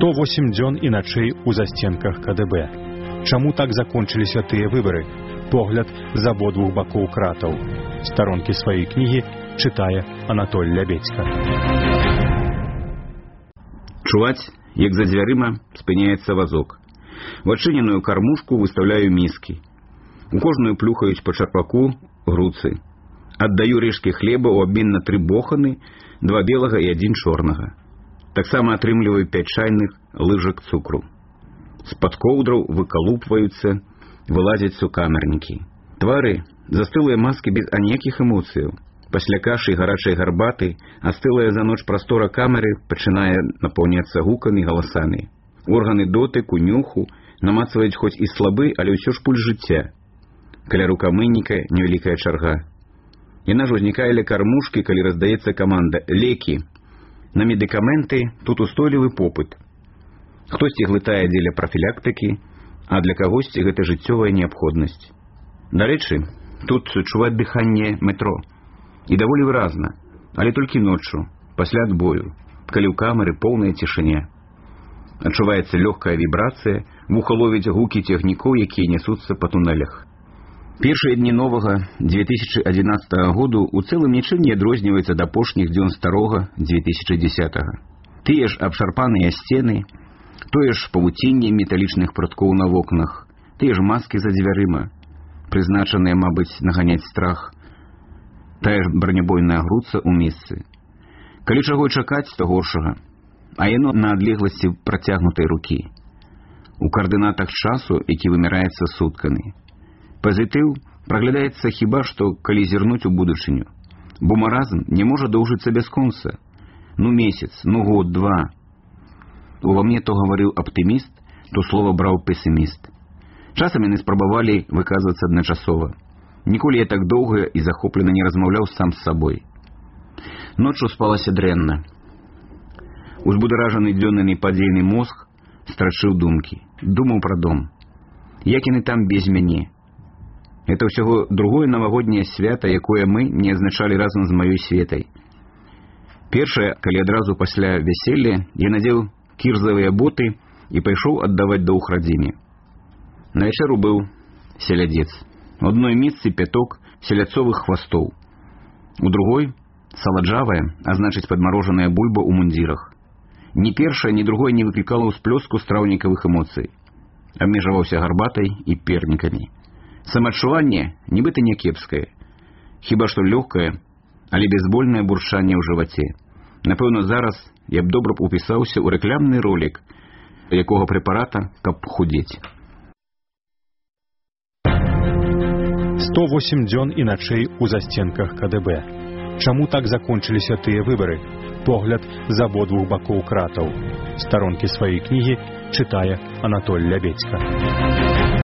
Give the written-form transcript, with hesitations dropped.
108 дзён і начэй у засценках КДБ. Чаму так закончыліся тыя выбары? Погляд з абодвух бакоў кратаў. Старонкі сваёй кнігі чытае Анатоль Лябедзька. Чуваць, як за дзвярыма спыняецца вазок. В адчыненую кармушку выставляю міскі. У кожную плюхаюць па чарпаку груцы. Аддаю рэшкі хлеба ў абмен на 3 боханы, 2 белага і 1 чорнага. Таксама атрымліваю 5 чайных лыжак цукру. З-пад коўдраў выкалупваюцца, вылазяць сукамернікі. Твары застылыя маскі без аніякіх эмоцыяў. Пасля кашы і гарачай гарбаты астылая за ноч прастора камеры пачынае напаўняцца гукамі, галасамі. Органы дотыку, нюху намацваюць хоць і слабы, але ўсё ж пульс жыцця. Каля рукамыйніка невялікая чарга. Яна ж узнікае ля кармушкі, калі раздаецца каманда «Лекі». На медыкаменты тут устойлівы попыт. Хтосьці глытае дзеля прафілактыкі, а для кагосьці гэта жыццёвая неабходнасць. Дарэчы, тут чуваць дыханне метро. І даволі выразна, але толькі ноччу, пасля адбою, калі ў камеры поўная цішыня. Адчуваецца лёгкая вібрацыя, вуха ловіць гукі цягнікоў, якія нясуцца па тунэлях. Першыя дні новага 2011 году ў цэлым нічым не адрозніваецца ад апошніх дзён старога 2010. Тыя ж абшарпаныя сцены, тое ж павуцінне металічных пруткоў на вокнах, тыя ж маскі за дзвярыма, прызначаныя, мабыць, наганяць страх, тая ж бронебойная груца ў месцы. Калі чаго чакаць, то горшага, а яно на адлегласці працягнутай рукі. У каардынатах часу, які вымяраецца суткамі. Пазітыў праглядаецца хіба што, калі зірнуць у будучыню. Бо маразм не можа доўжыцца бясконца. Ну месяц, ну год, 2. Ува мне то гаварыў аптыміст, то слова браў песіміст. Часам яны спрабавалі выказвацца адначасова. Ніколі я так доўга і захоплена не размаўляў сам з сабой. Ноччу спалася дрэнна. Узбударажаны дзённы непадзейны мозг страчыў думкі. Думаў пра дом. Як яны там без мяне? Это ўсяго другое навагодняе свята, якое мы не адзначалі разам з маёй Светай. Першае, калі адразу пасля вяселля я надзеў кірзавыя боты і пайшоў аддаваць доўг радзіме. На вячэру быў селядзец. У адной месцы 5 селядцовых хвастоў. У другой саладжавая, а значыць падмарожаная бульба ў мундзірах. Ні першае, ні другое не выклікала ўсплёску страўнікавых эмоцый. Абмежаваўся гарбатай і пернікамі. Самаадчуванне нібыта не кепскае. Хіба што лёгкае, але бязбольнае бурчанне ў жываце. Напэўна, зараз я б добра упісаўся ў рэклямны ролік, якога прэпарата, каб худзець. 108 дзён і начэй у засценках КДБ. Чаму так закончыліся тыя выбары? Погляд з абодвух бакоў кратаў. Старонкі сваёй кнігі чытае Анатоль Лябедзька.